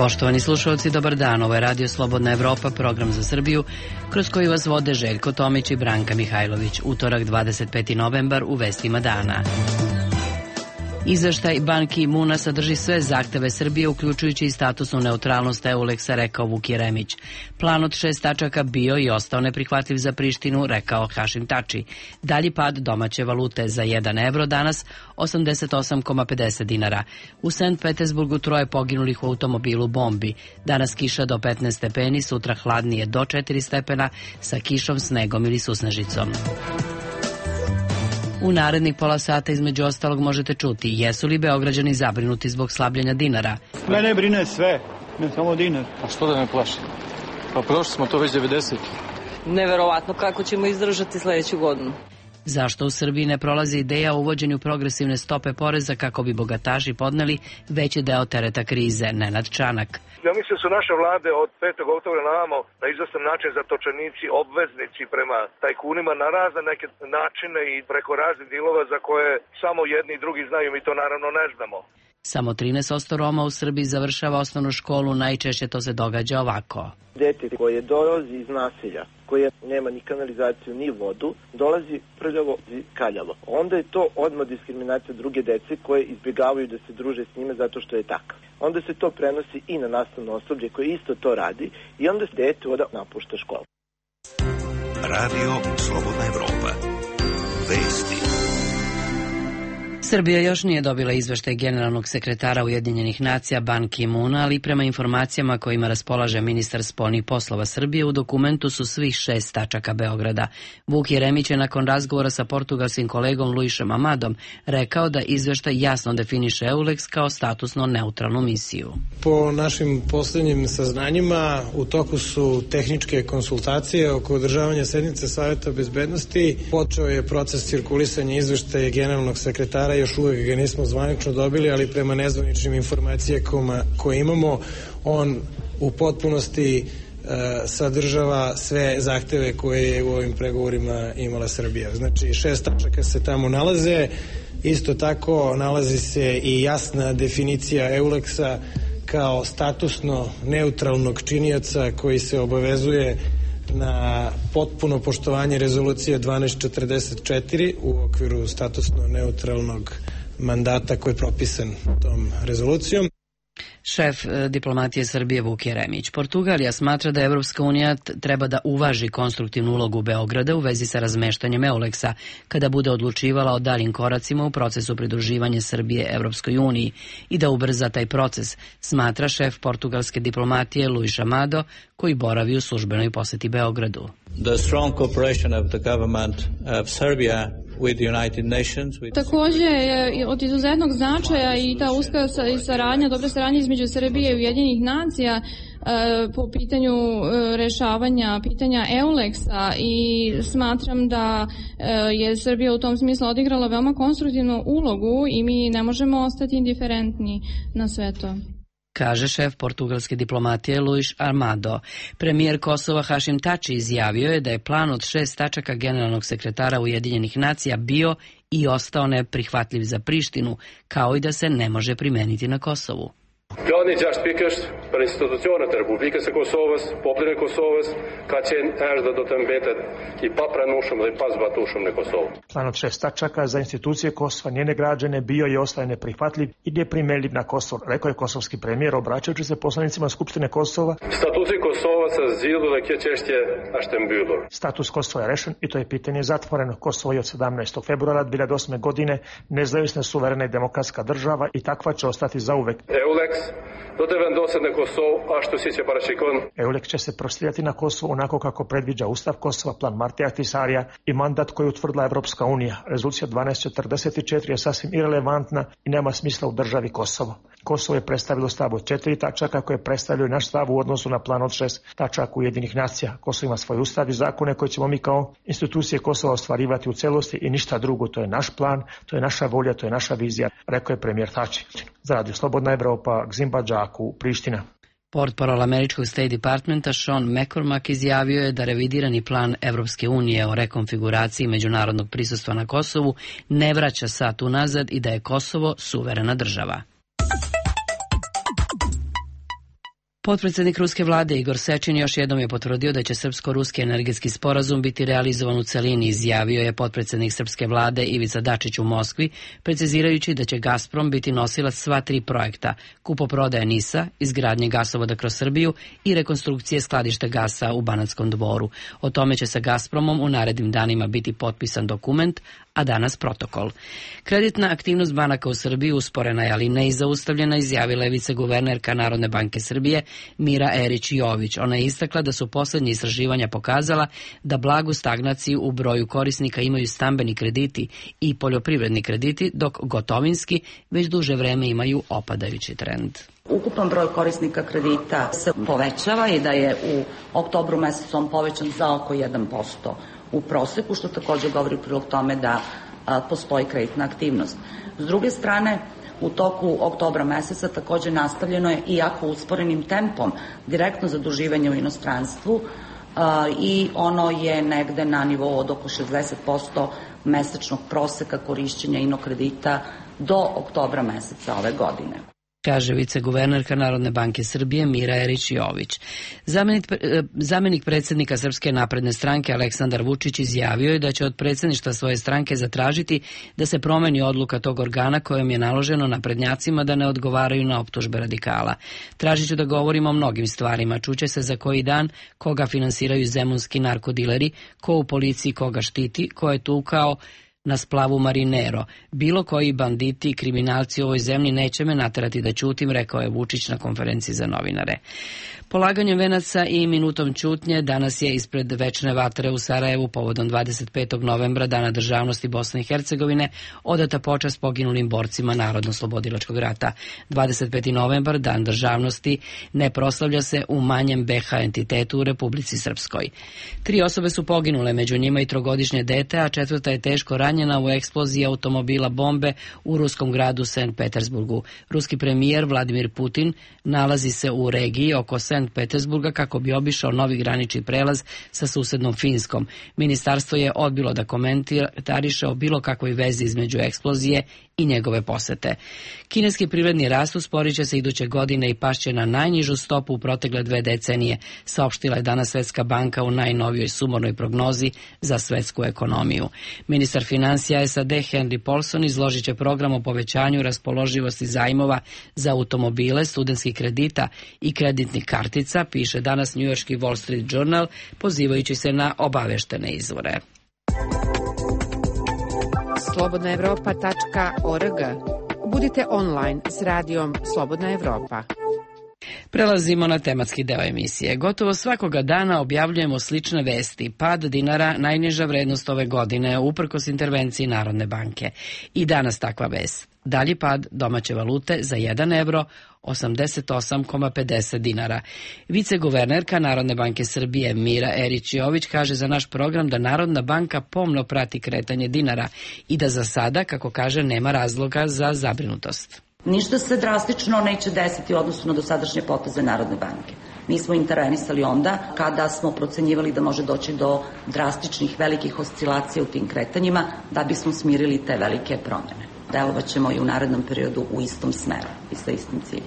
Poštovani slušalci, dobar dan. Ovo je Radio Slobodna Evropa, program za Srbiju, kroz koji vas vode Željko Tomić i Branka Mihajlović. Utorak, 25. novembar, u vestima dana. Izveštaj Ban Ki-muna sadrži sve zahteve Srbije, uključujući i statusnu neutralnost EULEX-a, rekao Vuk Jeremić. Plan od 6 tačaka bio i ostao neprihvatljiv za Prištinu, rekao Hašim Tači. Dalji pad domaće valute za 1 evro danas 88,50 dinara. U Sankt Petersburgu 3 poginulih u automobilu bombi. Danas kiša do 15 stepeni, sutra hladnije do 4 stepena sa kišom, snegom ili susnežicom. U narednih pola sata između ostalog možete čuti jesu li Beograđani zabrinuti zbog slabljenja dinara. Mene brine sve, ne samo dinar. A što da me plaši? Pa prošli smo to već 90. Neverovatno kako ćemo izdržati sledeću godinu. Zašto u Srbiji ne prolazi ideja o uvođenju progresivne stope poreza kako bi bogataši podneli veći deo tereta krize? Nenad Čanak. Ja mislim da su naše vlade od 5. oktobra na ovamo na izvestan način zatočenici, obveznici prema tajkunima na razne neke načine i preko raznih dilova za koje samo jedni i drugi znaju, mi to naravno ne znamo. Samo 13% Roma u Srbiji završava osnovnu školu, najčešće to se događa ovako. Dete koje dolazi iz naselja, koje nema ni kanalizaciju ni vodu, dolazi prljavo i kaljavo. Onda je to odmah diskriminacija druge dece koje izbjegavaju da se druže s njime zato što je takav. Onda se to prenosi i na nastavno osoblje koje isto to radi i onda se dete napušta školu. Radio Slobodna Evropa. Vesti. Srbija još nije dobila izveštaj generalnog sekretara Ujedinjenih nacija Ban Ki-muna, ali prema informacijama kojima raspolaže ministar spoljnih poslova Srbije, u dokumentu su svih 6 tačaka Beograda. Vuk Jeremić je nakon razgovora sa portugalskim kolegom Luisom Amadom rekao da izveštaj jasno definiše EULEX kao statusno neutralnu misiju. Po našim posljednjim saznanjima u toku su tehničke konsultacije oko održavanja sednice Saveta bezbednosti. Počeo je proces cirkulisanja izveštaja generalnog sekretara, još uvijek ga nismo zvanično dobili, ali prema nezvaničnim informacijama koje imamo, on u potpunosti sadržava sve zahteve koje je u ovim pregovorima imala Srbija. Znači 6 tačaka se tamo nalaze, isto tako nalazi se i jasna definicija EULEX-a kao statusno neutralnog činioca koji se obavezuje na potpuno poštovanje rezolucije 1244 u okviru statusno neutralnog mandata koji je propisan tom rezolucijom. Šef diplomatije Srbije Vuk Jeremić. Portugalija smatra da Evropska unija treba da uvaži konstruktivnu ulogu Beograda u vezi sa razmeštanjem EULEX-a kada bude odlučivala o daljim koracima u procesu pridruživanja Srbije Evropskoj uniji i da ubrza taj proces, smatra šef portugalske diplomatije Luis Amado, koji boravi u službenoj poseti Beogradu. The strong cooperation of the government of Serbia with the United Nations. Također je od izuzetnog značaja i ta uska saradnja, dobra saradnja između Srbije i Ujedinjenih nacija po pitanju rešavanja pitanja EULEX-a i smatram da je Srbija u tom smislu odigrala veoma konstruktivnu ulogu i mi ne možemo ostati indiferentni na sve to, kaže šef portugalske diplomatije Luis Amado. Premijer Kosova Hašim Tači izjavio je da je plan od 6 tačaka generalnog sekretara Ujedinjenih nacija bio i ostao neprihvatljiv za Prištinu, kao i da se ne može primeniti na Kosovu. Planen gjashpikësht për institucionet e Republikës së Kosovës, popullin e Kosovës ka qenë erdhë do të mbetet i papranueshëm dhe i pazbatueshëm në Kosovë. Plan od 6 tačaka za institucije Kosova, njene građane bio je ostaje neprihvatljiv i neprimjenjiv na Kosovo, rekao je kosovski premijer obraćajući se poslanicima Skupštine Kosova. Statusi Kosova sa zgjidhur dhe kjo çështje është e mbyllur. Status Kosova je rešen i to je pitanje zatvoreno. Kosovo je od 17. februara 2008. godine nezavisna, suverena i demokratska država i takva će ostati zauvek. EULEX do të vendoset në Kosovë ashtu siç e parashikon. EULEX će se prostirati na Kosovo onako kako predviđa Ustav Kosova, plan Martija Ahtisarija i mandat koji je utvrdila Evropska unija. Rezolucija 1244 je sasvim irelevantna i nema smisla u državi Kosovo. Kosovo je predstavilo stav od 4 tačaka koje predstavljaju naš stav u odnosu na plan od 6 tačaka Ujedinjenih nacija. Kosovo ima svoj ustav i zakone koje ćemo mi kao institucije Kosova ostvarivati u celosti i ništa drugo. To je naš plan, to je naša volja, to je naša vizija, rekao je premijer Tači. Za Radio Slobodna Evropa, Gzimba Đaku, Priština. Portparol američkog State Departmenta Sean McCormack izjavio je da revidirani plan Evropske unije o rekonfiguraciji međunarodnog prisustva na Kosovu ne vraća sat unazad i da je Kosovo suverena država. Potpredsednik ruske vlade Igor Sečin još jednom je potvrdio da će srpsko-ruski energetski sporazum biti realizovan u celini, izjavio je potpredsednik srpske vlade Ivica Dačić u Moskvi, precizirajući da će Gazprom biti nosilac sva 3 projekta: kupoprodaje NIS-a, izgradnje gasovoda kroz Srbiju i rekonstrukcije skladišta gasa u Banatskom Dvoru. O tome će sa Gazpromom u narednim danima biti potpisan dokument, a danas protokol. Kreditna aktivnost banaka u Srbiji usporena je, ali ne i zaustavljena, izjavila je viceguvernerka Narodne banke Srbije Mira Erić Jović. Ona je istakla da su poslednje istraživanja pokazala da blagu stagnaciju u broju korisnika imaju stambeni krediti i poljoprivredni krediti, dok gotovinski već duže vreme imaju opadajući trend. Ukupan broj korisnika kredita se povećava i da je u oktobru mesecu on povećan za oko 1% u proseku, što također govori u prilog tome da postoji kreditna aktivnost. S druge strane, u toku oktobra meseca također nastavljeno je, iako usporenim tempom, direktno zaduživanje u inostranstvu i ono je negde na nivou od oko 60% mesečnog proseka korišćenja inokredita do oktobra meseca ove godine, kaže viceguvernerka Narodne banke Srbije Mira Erić Jović. Zamenik predsjednika Srpske napredne stranke Aleksandar Vučić izjavio je da će od predsjedništva svoje stranke zatražiti da se promeni odluka tog organa kojom je naloženo naprednjacima da ne odgovaraju na optužbe radikala. Tražiću da govorimo o mnogim stvarima. Čuće se za koji dan koga finansiraju zemunski narkodileri, ko u policiji koga štiti, ko je tukao na splavu Marinero. Bilo koji banditi i kriminalci u ovoj zemlji neće me naterati da ćutim, rekao je Vučić na konferenciji za novinare. Polaganjem venaca i minutom ćutnje danas je ispred večne vatre u Sarajevu povodom 25. novembra, Dana državnosti Bosne i Hercegovine, odata počast poginulim borcima Narodno-slobodilačkog rata. 25. novembar, Dan državnosti, ne proslavlja se u manjem BH entitetu u Republici Srpskoj. 3 osobe su poginule, među njima i 3-godišnje dete, a 4. je teško ranjena u eksploziji automobila bombe u ruskom gradu Sankt Petersburgu. Ruski premijer Vladimir Putin nalazi se u regiji oko Sankt Petersburga kako bi obišao novi granični prelaz sa susednom Finskom. Ministarstvo je odbilo da komentariše o bilo kakvoj vezi između eksplozije i njegove posete. Kineski privredni rast usporit će se iduće godine i pašće na najnižu stopu u protekle 2 decenije, saopštila je danas Svetska banka u najnovijoj sumornoj prognozi za svetsku ekonomiju. Ministar finansija SAD Henry Paulson izložit će program o povećanju raspoloživosti zajmova za automobile, studentskih kredita i kreditnih kartica, piše danas njujorški Wall Street Journal, pozivajući se na obaveštene izvore. slobodnaevropa.org. Budite online s radijom Slobodna Evropa. Prelazimo na tematski deo emisije. Gotovo svakoga dana objavljujemo slične vesti. Pad dinara, najniža vrednost ove godine, uprkos intervenciji Narodne banke. I danas takva vest. Dalji pad domaće valute za 1 evro, 88,50 dinara. Viceguvernerka Narodne banke Srbije Mira Erić Jović kaže za naš program da Narodna banka pomno prati kretanje dinara i da za sada, kako kaže, nema razloga za zabrinutost. Ništa se drastično neće desiti u odnosu na dosadašnje poteze Narodne banke. Mi smo intervenisali onda kada smo procenjivali da može doći do drastičnih velikih oscilacija u tim kretanjima da bismo smirili te velike promjene. Delovat ćemo i u narednom periodu u istom smeru i sa istim ciljem.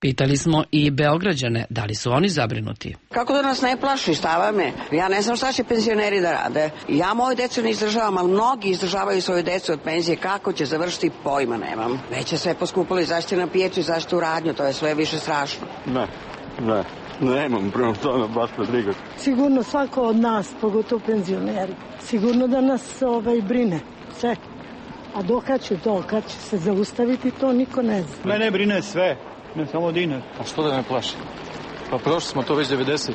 Pitali smo i Beograđane, da li su oni zabrinuti. Kako da nas ne plaši, šta me? Ja ne znam šta će penzioneri da rade. Ja moju decu ne izdržavam, ali mnogi izdržavaju svoju decu od penzije. Kako će završiti, pojma nemam. Već je sve poskupilo i zašto na pijeću i zašto u radnju, to je sve više strašno. Nemam prema tome baš briga. Sigurno svako od nas, pogotovo penzioneri, sigurno da nas brine sve. A kad će se zaustaviti, to niko ne zna. Mene brine sve. Ne samo dinar. A što da me plaši? Pa prošli smo to već 90.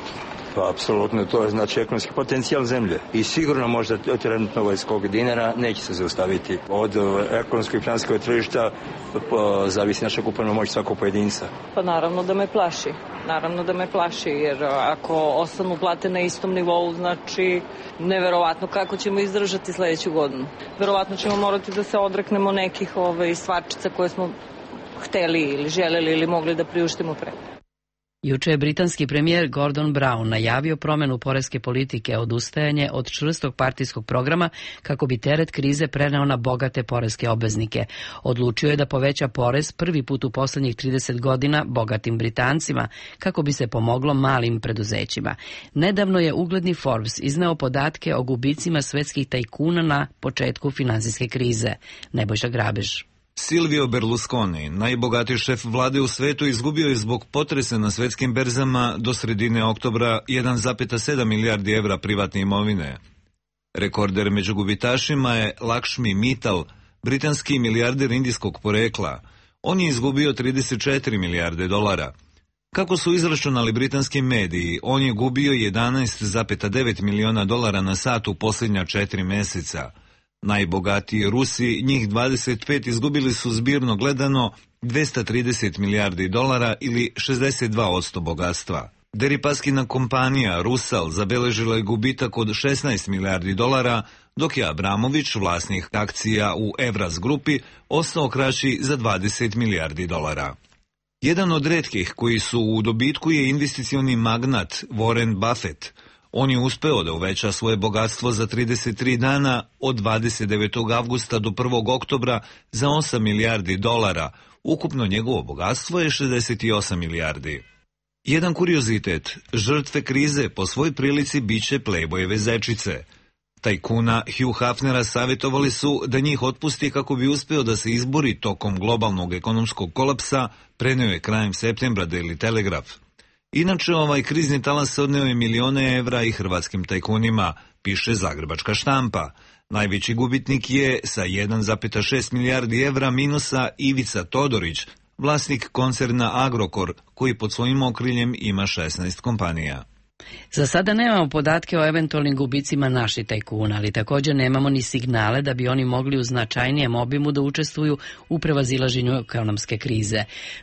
Pa apsolutno, to je znači ekonomski potencijal zemlje. I sigurno možda trenutno skok dinara neće se zaustaviti. Od ekonomskog i financijskog tržišta zavisi naša kupovna moć svakog pojedinca. Pa naravno da me plaši. Naravno da me plaši, jer ako ostanu plate na istom nivou, znači neverovatno kako ćemo izdržati sljedeću godinu. Verovatno ćemo morati da se odreknemo nekih stvarčica koje smo hteli ili želeli ili mogli da priuštimo pre. Juče je britanski premijer Gordon Brown najavio promenu poreske politike, odustajanje od čvrstog partijskog programa kako bi teret krize preneo na bogate poreske obveznike. Odlučio je da poveća porez prvi put u poslednjih 30 godina bogatim Britancima kako bi se pomoglo malim preduzećima. Nedavno je ugledni Forbes izneo podatke o gubicima svetskih tajkuna na početku finansijske krize. Nebojša Grabež. Silvio Berlusconi, najbogatiji šef vlade u svetu, izgubio je zbog potresa na svetskim berzama do sredine oktobra 1,7 milijardi evra privatne imovine. Rekorder među gubitašima je Lakshmi Mittal, britanski milijarder indijskog porekla. On je izgubio 34 milijarde dolara. Kako su izračunali britanski mediji, on je gubio 11,9 miliona dolara na sat u posljednja 4 meseca. Najbogatiji Rusi, njih 25, izgubili su zbirno gledano 230 milijardi dolara ili 62% bogatstva. Deripaskina kompanija Rusal zabeležila je gubitak od 16 milijardi dolara, dok je Abramović, vlasnik akcija u Evraz grupi, ostao kraći za 20 milijardi dolara. Jedan od retkih koji su u dobitku je investicioni magnat Warren Buffett. On je uspeo da uveća svoje bogatstvo za 33 dana od 29. avgusta do 1. oktobra za 8 milijardi dolara. Ukupno njegovo bogatstvo je 68 milijardi. Jedan kuriozitet, žrtve krize po svoj prilici biće Playboyeve zečice. Tajkuna Hugh Hefnera savjetovali su da njih otpusti kako bi uspeo da se izbori tokom globalnog ekonomskog kolapsa, preneo je krajem septembra Daily Telegraph. Inače, ovaj krizni talas odneo je milione evra i hrvatskim tajkunima, piše zagrebačka štampa. Najveći gubitnik je sa 1,6 milijardi evra minusa Ivica Todorić, vlasnik koncerna Agrokor, koji pod svojim okriljem ima 16 kompanija. Za sada nemamo podatke o eventualnim gubicima naših tajkuna, ali također nemamo ni signale da bi oni mogli u značajnijem obimu da učestvuju u prevazilaženju ekonomske krize.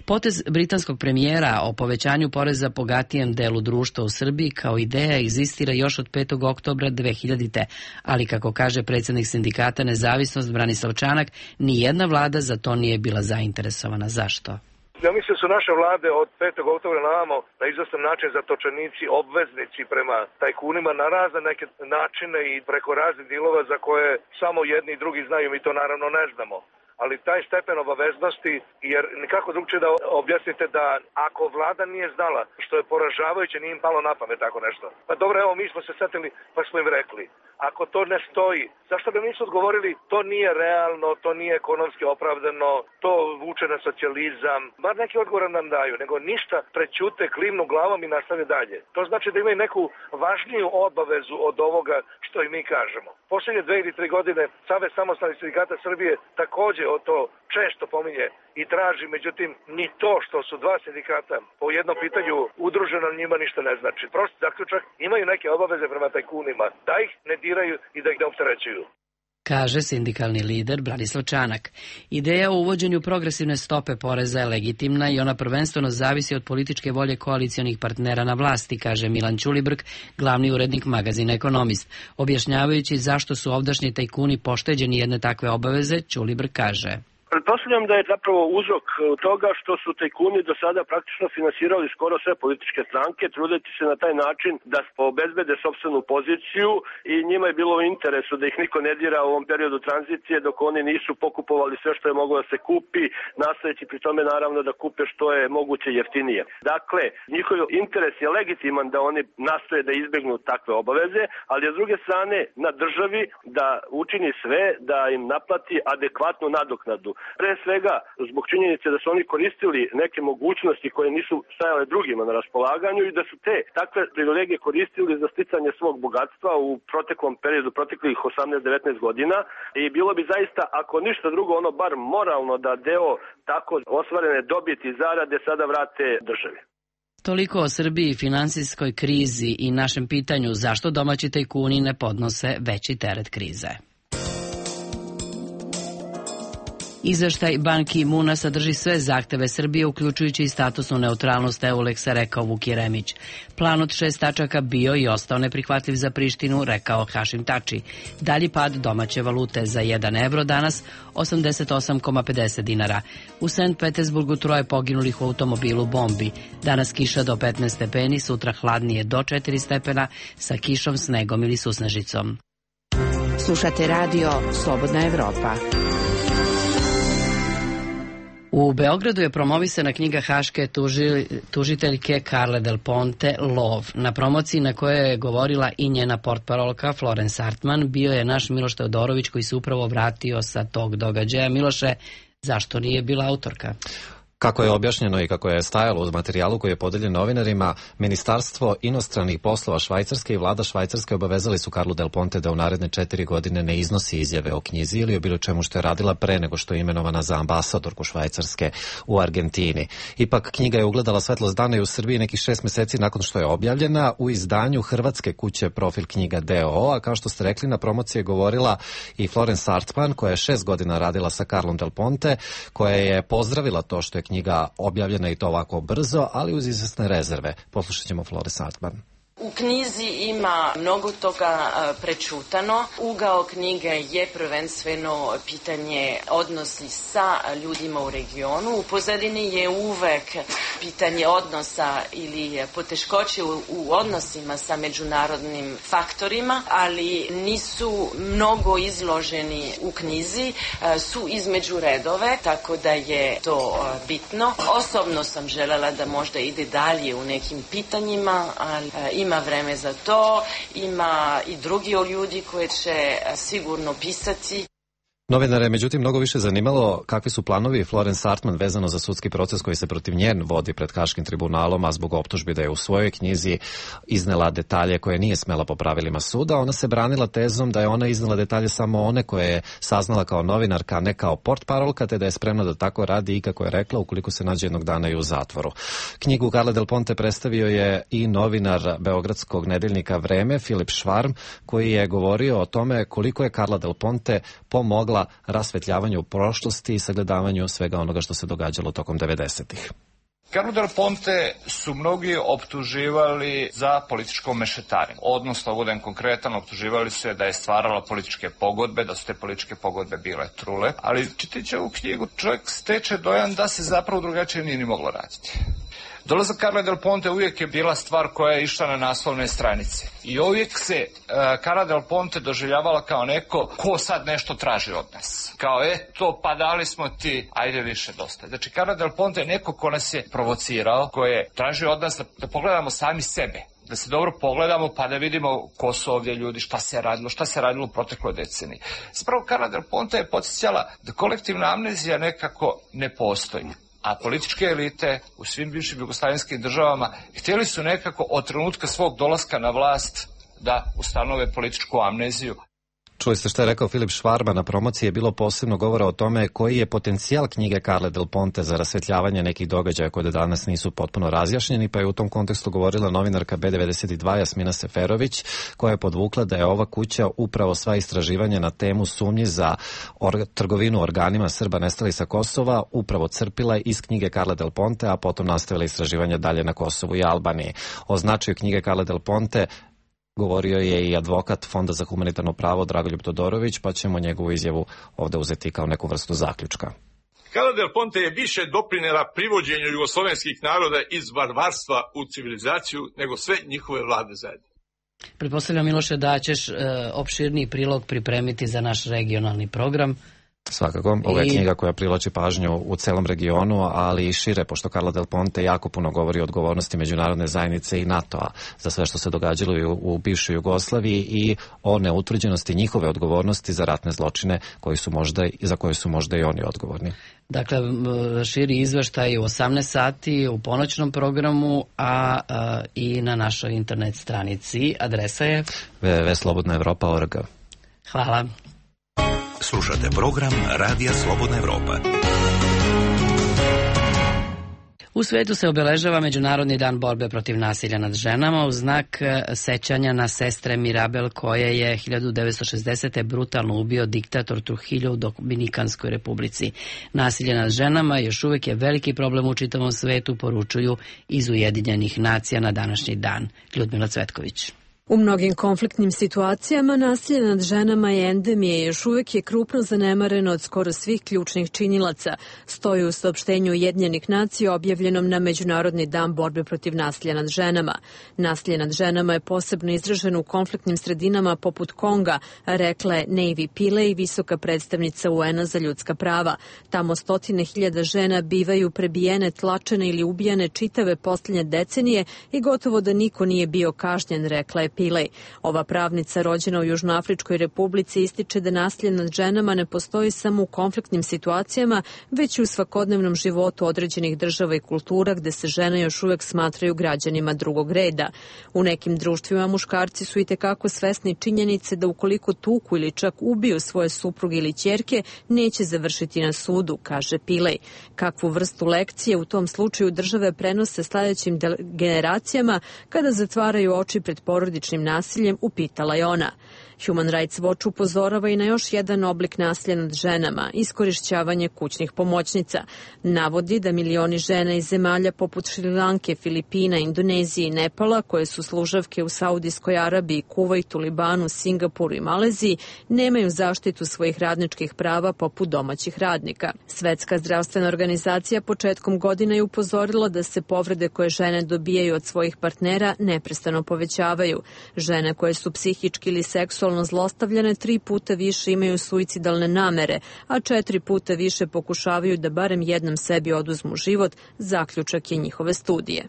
Potez britanskog premijera o povećanju poreza bogatijem delu društva u Srbiji kao ideja egzistira još od 5. oktobra 2000. Ali kako kaže predsjednik sindikata Nezavisnost Branislav Čanak, ni jedna vlada za to nije bila zainteresovana. Zašto? Ja mislim da su naše vlade od 5. oktobra na ovamo na izvestan način zatočenici, obveznici prema tajkunima na razne neke načine i preko raznih dilova za koje samo jedni i drugi znaju, mi to naravno ne znamo. Ali taj stepen obaveznosti, jer nikako drugčije da objasnite da ako vlada nije znala, što je poražavajuće, nije im palo na pamet tako nešto. Pa dobro, evo mi smo se setili pa smo im rekli. Ako to ne stoji, zašto bi nisu odgovorili to nije realno, to nije ekonomski opravdano, to vuče na socijalizam. Bar neki odgovor nam daju, nego ništa, prećute, klimnu glavom i nastave dalje. To znači da imaju neku važniju obavezu od ovoga što i mi kažemo. Posljednje 2 ili 3 godine Savez samostalnih sindikata Srbije također o to često pominje i traži, međutim, ni to što su dva sindikata po jednom pitanju udruženo njima ništa ne znači. Prosto zaključak, imaju neke obaveze prema tajkunima, da ih ne diraju i da ih ne opterećuju. Kaže sindikalni lider Branislav Čanak. Ideja o uvođenju progresivne stope poreza je legitimna i ona prvenstveno zavisi od političke volje koalicionih partnera na vlasti, kaže Milan Ćulibrk, glavni urednik magazina Ekonomist. Objašnjavajući zašto su ovdašnji tajkuni pošteđeni jedne takve obaveze, Ćulibrk kaže: Pretpostavljam da je zapravo uzrok toga što su tajkuni do sada praktično finansirali skoro sve političke stranke, trudeći se na taj način da obezbede sopstvenu poziciju i njima je bilo u interesu da ih niko ne dira u ovom periodu tranzicije dok oni nisu pokupovali sve što je moglo da se kupi, nastojeći pri tome naravno da kupe što je moguće jeftinije. Dakle, njihov interes je legitiman da oni nastoje da izbegnu takve obaveze, ali s druge strane na državi da učini sve da im naplati adekvatnu nadoknadu. Pre svega, zbog činjenice da su oni koristili neke mogućnosti koje nisu stajale drugima na raspolaganju i da su te takve privilegije koristili za sticanje svog bogatstva u proteklom periodu, proteklih 18-19 godina i bilo bi zaista, ako ništa drugo, ono bar moralno da deo tako ostvarene dobiti i zarade sada vrate državi. Toliko o Srbiji, finansijskoj krizi i našem pitanju zašto domaći tajkuni ne podnose veći teret krize. Izveštaj Ban Ki-muna sadrži sve zahteve Srbije, uključujući i statusnu neutralnost EULEX-a, rekao Vuk Jeremić. Plan od 6 tačaka bio i ostao neprihvatljiv za Prištinu, rekao Hašim Tači. Dalji pad domaće valute za 1 evro danas 88,50 dinara. U Sankt Petersburgu 3 poginulih u automobilu bombi. Danas kiša do 15 stepeni, sutra hladnije do 4 stepena sa kišom, snegom ili susnežicom. Slušate radio Slobodna Evropa. U Beogradu je promovisana knjiga haške tužiteljke Carle Del Ponte Lov. Na promociji na kojoj je govorila i njena portparolka Florence Hartman bio je naš Miloš Teodorović, koji se upravo vratio sa tog događaja. Miloše, zašto nije bila autorka? Kako je objašnjeno i kako je stajalo uz materijalu koji je podeljen novinarima, Ministarstvo inostranih poslova Švajcarske i vlada Švajcarske obavezali su Carlu Del Ponte da u naredne 4 godine ne iznosi izjave o knjizi ili o bilo čemu što je radila pre nego što je imenovana za ambasadorku Švajcarske u Argentini. Ipak knjiga je ugledala svetlost dana i u Srbiji nekih 6 meseci nakon što je objavljena u izdanju hrvatske kuće Profil knjiga DOO, a kao što ste rekli, na promociji je govorila i Florence Hartman, koja je 6 godina radila sa Carlom Del Ponte, koja je pozdravila to što je knjiga objavljena i to ovako brzo, ali uz izvesne rezerve. Poslušat ćemo Florence Hartman. U knjizi ima mnogo toga prečutano. Ugao knjige je prvenstveno pitanje odnosi sa ljudima u regionu. U pozadini je uvek pitanje odnosa ili poteškoće u odnosima sa međunarodnim faktorima, ali nisu mnogo izloženi u knjizi, su između redove, tako da je to bitno. Osobno sam želela da možda ide dalje u nekim pitanjima, ali ima vreme za to, ima i drugi ljudi koji će sigurno pisati. Novinare je međutim mnogo više zanimalo kakvi su planovi Florence Hartman vezano za sudski proces koji se protiv njen vodi pred Haškim tribunalom, a zbog optužbi da je u svojoj knjizi iznela detalje koje nije smela po pravilima suda. Ona se branila tezom da je ona iznela detalje samo one koje je saznala kao novinarka, a ne kao portparolka, te da je spremna da tako radi i, kako je rekla, ukoliko se nađe jednog dana i u zatvoru. Knjigu Carle Del Ponte predstavio je i novinar beogradskog nedeljnika Vreme, Filip Švarm, koji je govorio o tome koliko je Carla Del Ponte pomogla rasvetljavanju prošlosti i sagledavanju svega onoga što se događalo tokom 90-ih. Carlu Del Ponte su mnogi optuživali za političko mešetarenje. Odnosno, budem konkretan, optuživali su je da je stvarala političke pogodbe, da su te političke pogodbe bile trule, ali čitajući ovu knjigu čovjek steče dojam da se zapravo drugačije nije ni moglo raditi. Dolazak Carle Del Ponte uvijek je bila stvar koja je išla na naslovne stranice. I uvijek se Carla Del Ponte doživljavala kao neko ko sad nešto traži od nas. Kao eto, pa dali smo ti, ajde više dosta. Znači, Carla Del Ponte je neko ko nas je provocirao, ko je tražio od nas da pogledamo sami sebe. Da se dobro pogledamo pa da vidimo ko su ovdje ljudi, šta se radilo u protekloj deceniji. Zapravo, Carla Del Ponte je podsjećala da kolektivna amnezija nekako ne postoji. A političke elite u svim bivšim jugoslavenskim državama htjeli su nekako od trenutka svog dolaska na vlast da ustanove političku amneziju. Čuli ste što je rekao Filip Švarma. Na promociji je bilo posebno govora o tome koji je potencijal knjige Carle Del Ponte za rasvetljavanje nekih događaja koje danas nisu potpuno razjašnjeni, pa je u tom kontekstu govorila novinarka B92 Jasmina Seferović, koja je podvukla da je ova kuća upravo sva istraživanja na temu sumnji za trgovinu organima Srba nestalih sa Kosova upravo crpila iz knjige Carle Del Ponte, a potom nastavila istraživanja dalje na Kosovu i Albaniji. O značaju knjige Carle Del Ponte govorio je i advokat Fonda za humanitarno pravo Dragoljub Todorović, pa ćemo njegovu izjavu ovde uzeti kao neku vrstu zaključka. Carla Del Ponte je više doprinela privođenju jugoslovenskih naroda iz barbarstva u civilizaciju nego sve njihove vlade zajedno. Pretpostavljam, Miloše, da ćeš opširniji prilog pripremiti za naš regionalni program. Svakako, ovo je knjiga koja privlači pažnju u celom regionu, ali i šire, pošto Carla Del Ponte jako puno govori o odgovornosti međunarodne zajednice i NATO-a za sve što se događalo u bivšoj Jugoslaviji i o neutvrđenosti njihove odgovornosti za ratne zločine za koje su možda i oni odgovorni. Dakle, širi izveštaj u 18 sati u ponoćnom programu, a i na našoj internet stranici. Adresa je www.slobodnaevropa.org. Hvala. Slušate program Radija Slobodna Evropa. U svetu se obeležava Međunarodni dan borbe protiv nasilja nad ženama u znak sećanja na sestre Mirabel koje je 1960. brutalno ubio diktator Trujillo u Dominikanskoj republici. Nasilje nad ženama još uvijek je veliki problem u čitavom svetu, poručuju iz Ujedinjenih nacija na današnji dan. Ljudmila Cvetković. U mnogim konfliktnim situacijama nasilje nad ženama je endemija i još uvijek je krupno zanemareno od skoro svih ključnih činilaca, stoji u saopštenju Ujedinjenih nacija objavljenom na Međunarodni dan borbe protiv nasilja nad ženama. Nasilje nad ženama je posebno izraženo u konfliktnim sredinama poput Konga, rekla je Navy Pillay, visoka predstavnica UN-a za ljudska prava. Tamo 100.000 žena bivaju prebijene, tlačene ili ubijane čitave posljednje decenije i gotovo da niko nije bio kažnjen, rekla je Pillay. Ova pravnica rođena u Južnoafričkoj republici ističe da nasilje nad ženama ne postoji samo u konfliktnim situacijama, već i u svakodnevnom životu određenih država i kultura gde se žene još uvek smatraju građanima drugog reda. U nekim društvima muškarci su itekako svesni činjenice da ukoliko tuku ili čak ubiju svoje supruge ili ćerke, neće završiti na sudu, kaže Pillay. Kakvu vrstu lekcije u tom slučaju države prenose sledećim generacijama kada zatvaraju oči pred porodičnim nasiljem, upitala je ona. Human Rights Watch upozorava i na još jedan oblik nasilja nad ženama, iskorišćavanje kućnih pomoćnica. Navodi da milioni žena iz zemalja poput Šrilanke, Filipina, Indonezije i Nepala, koje su služavke u Saudijskoj Arabiji, Kuvajtu, Libanu, Singapuru i Maleziji, nemaju zaštitu svojih radničkih prava poput domaćih radnika. Svetska zdravstvena organizacija početkom godina je upozorila da se povrede koje žene dobijaju od svojih partnera neprestano povećavaju. Žene koje su psihički ili seksualno zlostavljane 3 puta više imaju suicidalne namere, a 4 puta više pokušavaju da barem jednom sebi oduzmu život, zaključak je njihove studije.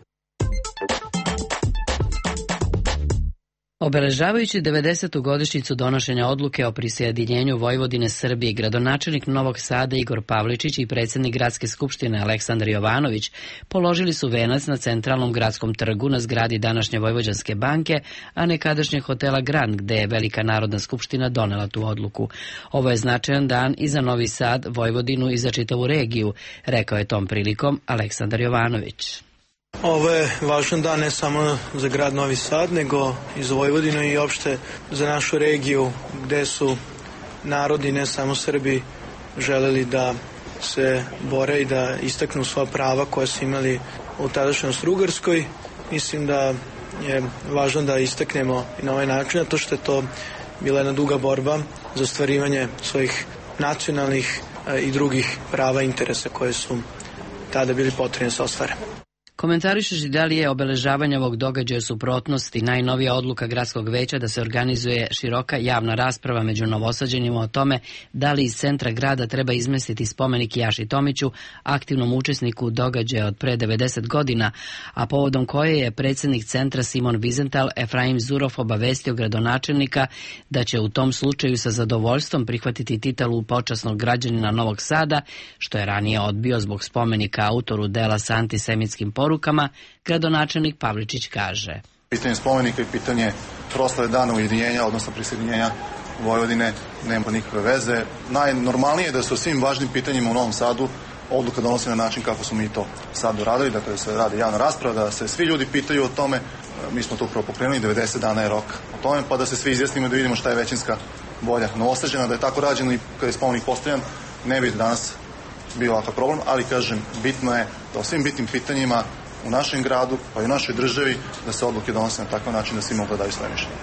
Obeležavajući 90. godišnjicu donošenja odluke o prisjedinjenju Vojvodine Srbije, gradonačelnik Novog Sada Igor Pavličić i predsjednik Gradske skupštine Aleksandar Jovanović položili su venac na centralnom gradskom trgu na zgradi današnje Vojvođanske banke, a nekadašnjeg hotela Grand, gde je Velika narodna skupština donela tu odluku. Ovo je značajan dan i za Novi Sad, Vojvodinu i za čitavu regiju, rekao je tom prilikom Aleksandar Jovanović. Ovo je važan dan ne samo za grad Novi Sad, nego i za Vojvodinu i opšte za našu regiju, gde su narodi, ne samo Srbi, želeli da se bore i da istaknu svoja prava koja su imali u tadašnjoj Austro-Ugarskoj. Mislim da je važno da istaknemo i na ovaj način, to što je to bila jedna duga borba za ostvarivanje svojih nacionalnih i drugih prava i interesa koje su tada bili potrebni da se ostvare. Komentarišući da li je obeležavanje ovog događaja u suprotnosti najnovija odluka gradskog veća da se organizuje široka javna rasprava među Novosađanima o tome da li iz centra grada treba izmestiti spomenik Jaši Tomiću, aktivnom učesniku događaja od pre 90 godina, a povodom koje je predsjednik centra Simon Vizental Efraim Zurov obavestio gradonačelnika da će u tom slučaju sa zadovoljstvom prihvatiti titulu počasnog građanina Novog Sada, što je ranije odbio zbog spomenika autoru dela sa antisemitskim porukama, gradonačelnik Pavličić kaže. Pitanje spomenika i pitanje proslave dana ujedinjenja, odnosno prisjedinjenja Vojvodine, nema nikakve veze. Najnormalnije je da se o svim važnim pitanjima u Novom Sadu odluka donosi na način kako smo mi to sad uradili, dakle da se radi javna rasprava, da se svi ljudi pitaju o tome. Mi smo to upravo pokrenuli, 90 dana je rok o tome, pa da se svi izjasnimo da vidimo šta je većinska volja Novosađana. Da je tako rađeno i kada je spomenik postavljan, ne bi danas bio ovakav problem, ali kažem, bitno je da o svim bitnim pitanjima u našem gradu, pa i u našoj državi, da se odluke donose na takav način da svi mogu da daju svoje mišljenje.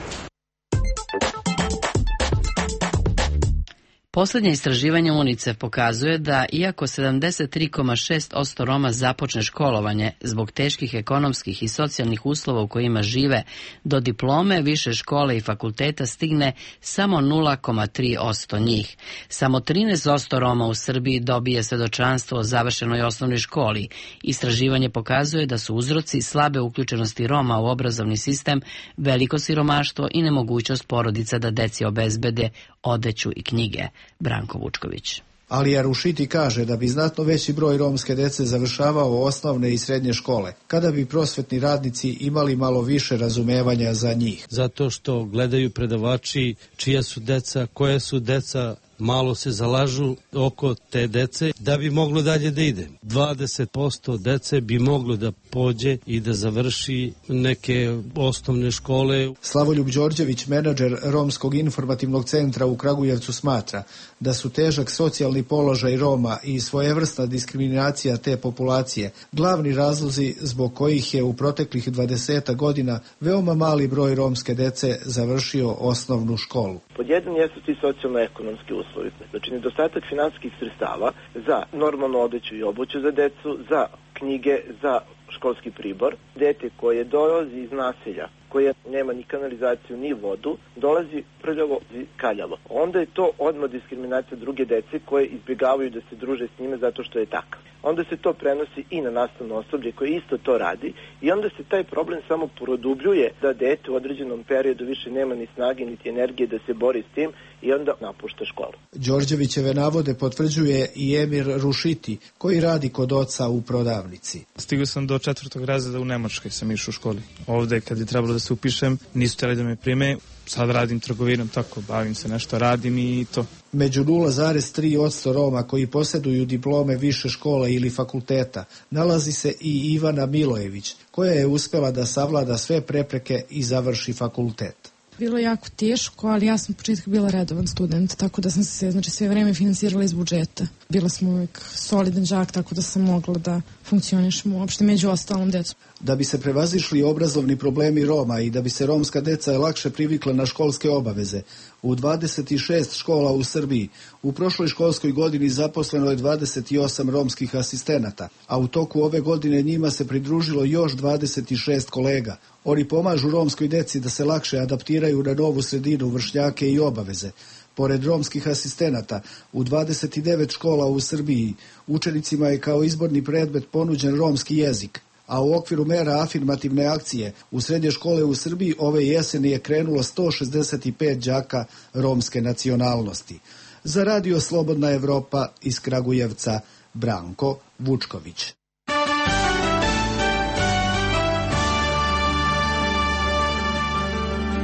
Poslednje istraživanje UNICEF pokazuje da iako 73,6% Roma započne školovanje zbog teških ekonomskih i socijalnih uslova u kojima žive, do diplome više škole i fakulteta stigne samo 0,3% njih. Samo 13% Roma u Srbiji dobije svedočanstvo o završenoj osnovnoj školi. Istraživanje pokazuje da su uzroci slabe uključenosti Roma u obrazovni sistem, veliko siromaštvo i nemogućnost porodica da deci obezbede odeću i knjige. Branko Vučković. Alija Rušiti kaže da bi znatno veći broj romske dece završavao osnovne i srednje škole, kada bi prosvetni radnici imali malo više razumevanja za njih. Zato što gledaju predavači čija su deca, koja su deca malo se zalažu oko te dece da bi moglo dalje da ide. 20% dece bi moglo da pođe i da završi neke osnovne škole. Slavoljub Đorđević, menadžer Romskog informativnog centra u Kragujevcu, smatra da su težak socijalni položaj Roma i svojevrsna diskriminacija te populacije glavni razlozi zbog kojih je u proteklih 20 godina veoma mali broj romske dece završio osnovnu školu. Pod jedan jesu ti socijalno-ekonomski uslovi. Znači, nedostatak finansijskih sredstava za normalnu odeću i obuću za decu, za knjige, za školski pribor. Dete koje dolazi iz naselja, koje nema ni kanalizaciju ni vodu, dolazi prljavo i kaljavo. Onda je to odmah diskriminacija druge dece koje izbjegavaju da se druže s njime zato što je takav. Onda se to prenosi i na nastavno osoblje koje isto to radi i onda se taj problem samo produbljuje da dete u određenom periodu više nema ni snage niti energije da se bori s tim i onda napušta školu. Đorđevićeve navode potvrđuje i Emir Rušiti koji radi kod oca u prodavnici. Stigao sam do 4. razreda u Nemačkoj, sam išao u školi. Ovde kad je trebalo da se upišem, nisu htjeli da me prime. Sad radim trgovinom, tako, bavim se nešto, radim i to. Među 0,3% Roma koji posjeduju diplome više škola ili fakulteta nalazi se i Ivana Milojević, koja je uspjela da savlada sve prepreke i završi fakultet. Bilo je jako teško, ali ja sam u početku bila redovan student, tako da sam se sve vreme finansirala iz budžeta. Bila sam uvijek solidan đak, tako da sam mogla da funkcionišem uopšte među ostalom decom. Da bi se prevazišli obrazovni problemi Roma i da bi se romska deca lakše privikla na školske obaveze, u 26 škola u Srbiji u prošloj školskoj godini zaposleno je 28 romskih asistenata, a u toku ove godine njima se pridružilo još 26 kolega. Oni pomažu romskoj deci da se lakše adaptiraju na novu sredinu, vršnjake i obaveze. Pored romskih asistenata, u 29 škola u Srbiji učenicima je kao izborni predmet ponuđen romski jezik, a u okviru mera afirmativne akcije u srednje škole u Srbiji ove jeseni je krenulo 165 đaka romske nacionalnosti. Za Radio Slobodna Evropa iz Kragujevca, Branko Vučković.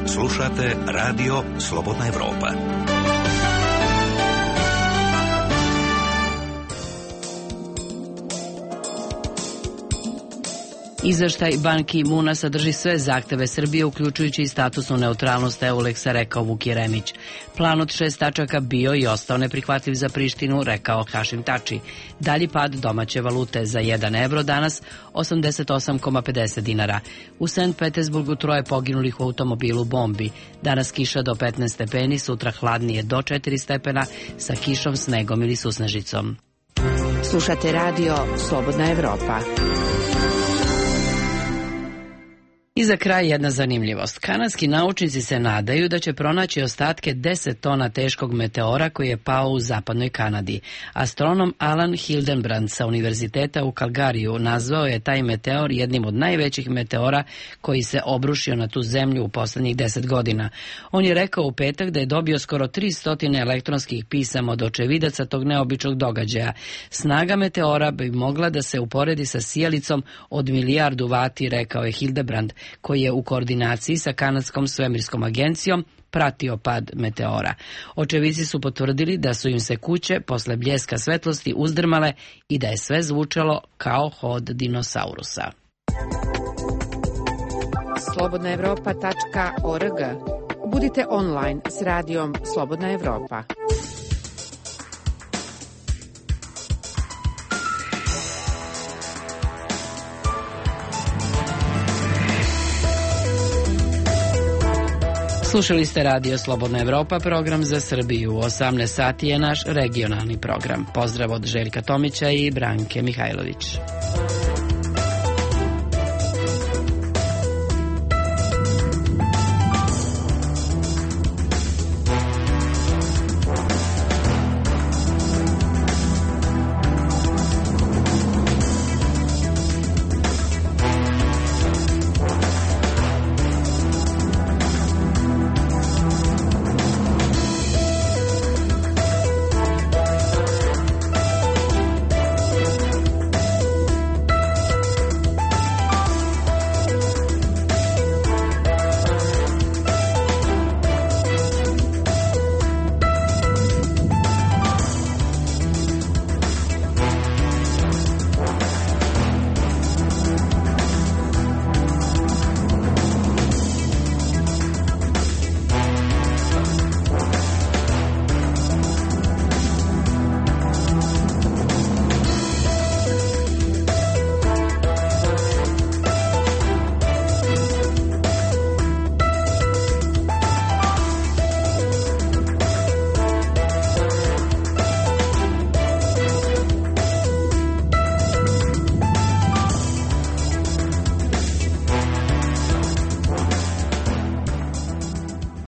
Slušate Radio Slobodna Evropa. Izveštaj Ban Ki-muna sadrži sve zahteve Srbije, uključujući i statusnu neutralnost EULEX-a, rekao Vuk Jeremić. Plan od 6 tačaka bio i ostao neprihvatljiv za Prištinu, rekao Hašim Tači. Dalji pad domaće valute za 1 evro danas 88,50 dinara. U Sankt Petersburgu 3 poginulih u automobilu bombi. Danas kiša do 15 stepeni, sutra hladnije do 4 stepena sa kišom, snegom ili susnežicom. Slušate Radio Slobodna Evropa. I za kraj jedna zanimljivost. Kanadski naučnici se nadaju da će pronaći ostatke 10 tona teškog meteora koji je pao u zapadnoj Kanadi. Astronom Alan Hildenbrand sa univerziteta u Calgariju nazvao je taj meteor jednim od najvećih meteora koji se obrušio na tu zemlju u poslednjih 10 godina. On je rekao u petak da je dobio skoro 300 elektronskih pisama od očevidaca tog neobičnog događaja. Snaga meteora bi mogla da se uporedi sa sijalicom od 1.000.000 vati, rekao je Hildenbrand, koji je u koordinaciji sa Kanadskom svemirskom agencijom pratio pad meteora. Očevici su potvrdili da su im se kuće posle bljeska svetlosti uzdrmale i da je sve zvučalo kao hod dinosaurusa. slobodnaevropa.org. Budite online s radijom Slobodna Evropa. Slušali ste Radio Slobodna Evropa, program za Srbiju. U 18 sati je naš regionalni program. Pozdrav od Željka Tomića i Branke Mihajlović.